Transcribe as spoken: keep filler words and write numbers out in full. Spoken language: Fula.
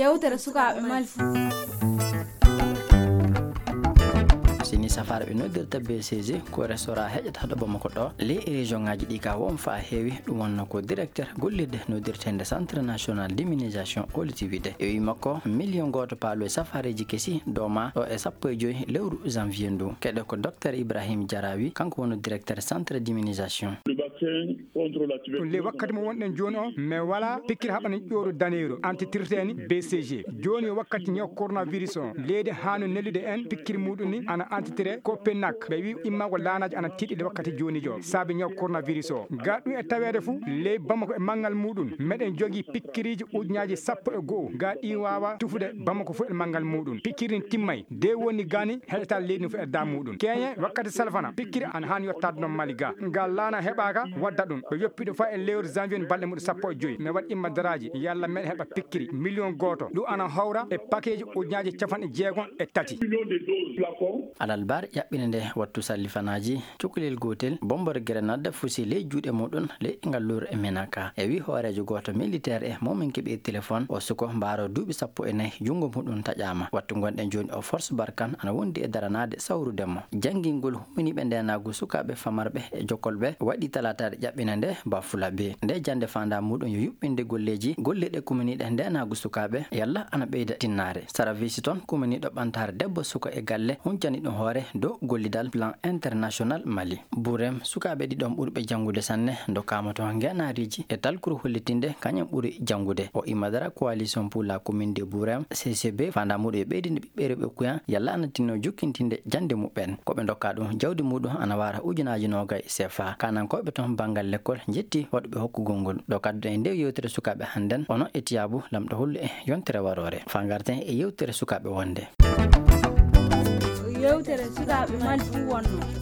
Yewtere sukaaɓe Mali. Sini safaara ɓe noddirta B C G, ko restaurant heƴata ɗo Bamako ɗo. Les région ngaji ɗi ka won fa heewi, ɗum wonno ko directeur gollirde noddirtende Centre National d'Immunisation, holiti wiide. E wi makko, million gooto paalo e safaareji kesi dooma ɗo e sappo e joyi lewru janvier ndu. Keɗe ko Docteur Ibrahim Diarawi, kanko woni directeur Centre d'Immunisation. Le vaccin contre la tuberculose. Ɗum le wakkati mo wonɗen jooni o, mais wala pikkiri haɓani ƴooru daneeru antitirteeni B C G. Jooni o wakkati ñaw coronavirus o. Leydi haano nellude en pikkiri muɗum ni ana antitire Copenhague. Ɓe wi immago laanaji ana tiiɗi le wakkati jooni jo. Saabi ñaw coronavirus o. Ga ɗum e taweede fu, ley Bamako e manngal muɗum. Meɗen jogi pikkiriji ujunaji sappo e go'o. Ga ɗi wawa tufude Bamako fu e manngal muɗum. Pikkiri ni timmay. De woni gani heɗata leydi no fu e da muɗum. Keñe wakkati salfana. Pikkiri ana haani yottaade noon Mali ga. Ngal laana heɓaaka wadda ɗum. Ɓe yoppi ɗum fa e lewru janvier balɗe muɗum sappo e joyi. Mi waɗi imma daraaji. Yalla meɗen heɓa pikkiri million gooto. Ɗum ana hawra e pakeji ujunaji capanɗe jeegom e tati. Million de doses flacon. Alalbar ƴaɓɓinde nde wattu sallifanaaji, cukalel gootel, bombor grenade fusi ley juuɗe muɗum, ley ngal lowru e Menaka. E wi hooreejo gooto militaire e momin keɓi téléphone, o suko mbaaro duuɓi sappo e nayi, junngo muɗum taƴaama. Wattu ngonɗen jooni o, Force Barkhane ana wondi e daranaade sawrude mo. Janngingol humminiiɓe ndeenaagu sukaaɓe famarɓe e jokolɓe waɗi talaataare ƴaɓɓina nde Bafulabe. Nde jannde faandaa muɗum yo yuɓɓinde golleeji golliiɗe kumminiiɗe ndeenaagu sukaaɓe yalla ana ɓeyda tinnaare. Saravisi toon kumminiiɗo ɓantaare debbo suka e galle huncani ɗum hoore dow gollidal Plan International Mali. Burem, sukaaɓe ɗiɗon ɓurɓe janngude sanne ndokkaama toon ngeenaariiji e talkuru hollitinde kañum ɓuri janngude. O imma dara Coalition pour la Commune de Burem, C C B, faandaa muɗum e ɓeydinde ɓiɓɓe rewɓe kuyan yalla ana tinno jokkintinde jannde muɓɓen. Ko ɓe ndokka ɗum jawdi muɗum ana wara ujunaaji noogay C F A. Kanankooɓe toon banngal lekkol njetti waɗuɓe hokkugol ngol. Ɗo kadduɗen e nde yewtere sukaaɓe hannden, onon e tiyaabu lamɗo hollu e yontere waroore. Fa ngarten e yewtere sukaaɓe wonde. Yewtere sukaaɓe Mali fuu wonno.